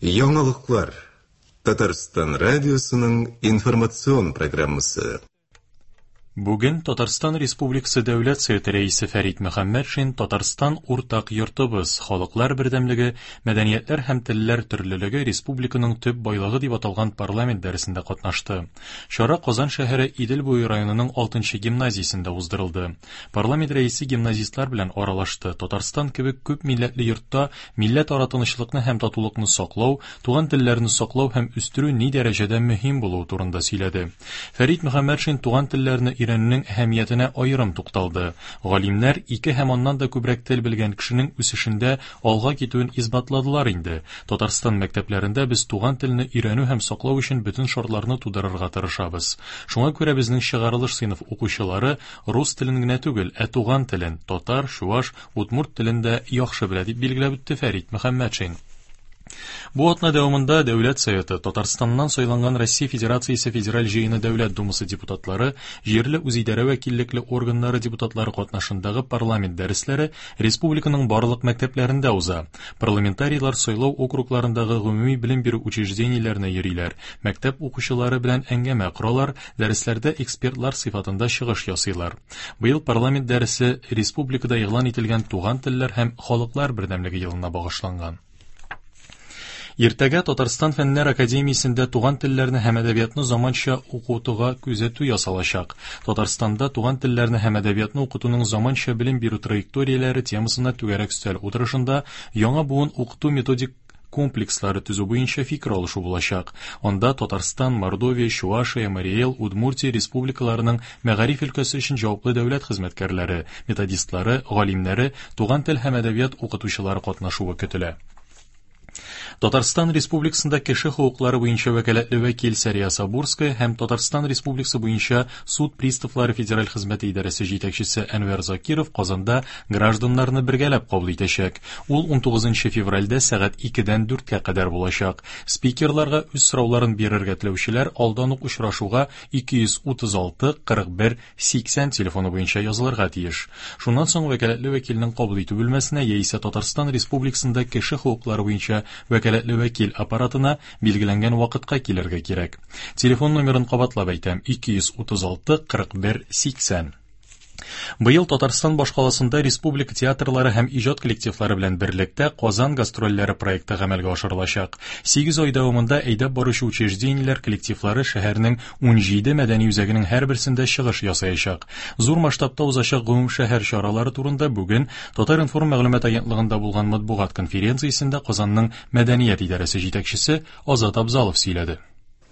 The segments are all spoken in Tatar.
Яңалыклар. Татарстан радиосының информацион программасы. Бүген Татарстан Республикасы Дәүләт Советы Рәисе Фәрит Мөхәммәтшин Татарстан уртак йортыбыз, халыклар бердәмлеге, мәдәниятләр һәм телләр төрлелеге республиканың төп байлыгы дип аталган парламент дәресендә катнашты. Чара Казан шәһәре Идел буе районының 6 нчы гимназиясендә уздырылды. Парламент рәисе гимназистлар белән аралашты, Татарстан кебек күп милләтле йортта милләтара тынычлыкны һәм татулыкны саклау, туган телләрне саклау һәм үстерү ни дәрәҗәдә мөһим булуы турында сөйләде. Фәрит Мөхәммәтшин туган телләрне өйрәнүнең әһәмиятенә аерым тукталды. Галимнәр ике һәм аннан да күбрәк тел белгән кешенең үсешендә алга китүен исбатладылар инде. Татарстан мәктәпләрендә без туган телне өйрәнү һәм саклау өчен бөтен шартларны тудырырга тырышабыз. Шуңа күрә безнең чыгарылыш сыйныф укучылары рус телен генә түгел, ә туган телен, татар, чуаш, удмурт телен дә яхшы белә, дип билгеләп үтте Фәрит Мөхәммәтшин. Бу атна дәвамында Дәүләт Советы, Татарстаннан сайланган Россия Федерациясе Федераль Җыены Дәүләт Думасы депутатлары, җирле үзидарә вәкиллекле органнары депутатлары катнашындагы парламент дәресләре республиканың барлык мәктәпләрендә уза. Парламентарийлар сайлау округларындагы гомуми белем бирү учреждениеләренә йөриләр, мәктәп укучылары белән әңгәмә коралар, дәресләрдә экспертлар сыйфатында чыгыш ясыйлар. Быел парламент дәресе республикада игълан ителгән Туган телләр һәм халыклар бердәмлеге елына багышланган. Иртәгә Татарстан Фәннәр академиясендә туган телләрне һәм әдәбиятны заманча укытуга күзәтү ясалачак. Татарстанда туган телләрне һәм әдәбиятны укытуның заманча белем бирү траекторияләре темасына түгәрәк өстәл утырышында яңа буын укыту методик комплекслары төзү буенча фикер алышу булачак. Анда Татарстан, Мордовия, Чувашия, Марий Эл, Удмуртия республикаларының мәгариф өлкәсе өчен җаваплы дәүләт хезмәткәрләре, методистлары, галимнәре, туган тел һәм әдәбият укытучылары катнашуы көтелә. Татарстан Республикасында кеше хокуклары буенча вәкаләтле вәкил Сәрия Сабурская һәм Татарстан Республикасы буенча суд приставлары федераль хезмәте идарәсе җитәкчесе Әнвәр Закиров Казанда гражданнарны бергәләп кабул итәчәк. Ул 19 февральдә сәгать 2-дән 4-кә кадәр булачак. Спикерларга үз сорауларын бирергә теләүчеләр алдан ук очрашуга 236 41 80 телефоны буенча язылырга тиеш. Шуннан соң вәкаләтле вәкилнең кабул итү бүлмәсенә яисә Татарстан Республикасында кеше хокуклары буенча вәкаләтле вәкил аппаратына билгеләнгән вакытка килергә кирәк. Телефон номерын кабатлап әйтәм, 236 41 80. Быел Татарстан башкаласында республика театрлары һәм иҗат коллективлары белән берлектә Казан гастрольләре проекты гамәлгә ашырылачак. 8 ай дәвамында әйдәп баручы учреждениеләр коллективлары шәһәрнең 17 мәдәни үзәгенең һәрберсендә чыгыш ясаячак. Зур масштабта узачак гомумшәһәр чаралары турында бүген Татар-информ мәгълүмат агентлыгында булган матбугат конференциясендә Казанның мәдәният идарәсе җитәкчесе Азат Абзалов сөйләде.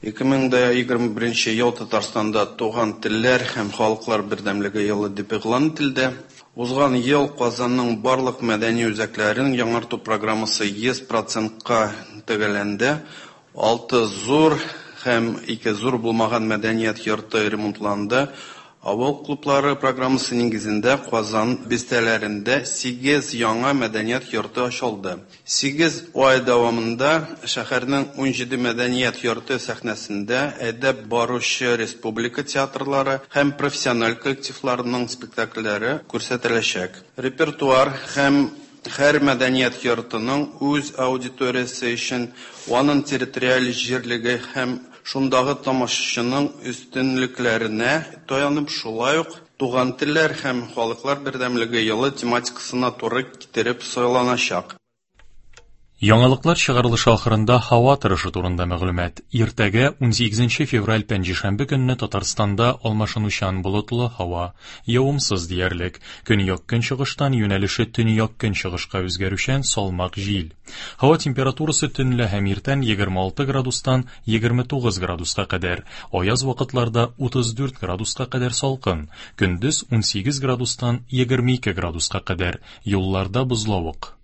2021 ел Татарстанда Туган телләр һәм халыклар бердәмлеге елы дип игълан ителде. Узган ел Казанның барлык мәдәни үзәкләрен яңарту программасы 100 процентка төгәлләнде. Алты зур һәм ике зур булмаган мәдәният йорты ремонтланды. Авыл клублары программасы нигезендә Казан бистәләрендә сигез яңа мәдәният йорты ачылды. Сигез ай дәвамында шәһәрнең 17 мәдәният йорты сәхнәсендә әйдәп баручы республика театрлары һәм профессиональ коллективларының спектакльләре күрсәтеләчәк. Репертуар һәм һәр мәдәният йортының үз аудиториясе өчен аның территориаль җирлеге һәм шундагы тамашачының өстенлекләренә таянып, шулай ук Туган телләр һәм халыклар бердәмлеге елы тематикасына туры китереп сайланачак. Яңалыклар чыгарылышы ахырында һава торышы турында мәгълүмат. Иртәгә, 18 февраль пәнҗешәмбе көнне Татарстанда алмашынучан болытлы һава, явымсыз диярлек. Көньяк-көнчыгыштан юнәлеше төньяк-көнчыгышка үзгәрүчән салмак җил. Һава температурасы төнлә һәм иртән 26 градустан 29 градуска кадәр, аяз вакытларда 34 градуска кадәр салкын, көндез 18 градустан 22 градуска кадәр, юлларда бозлавык.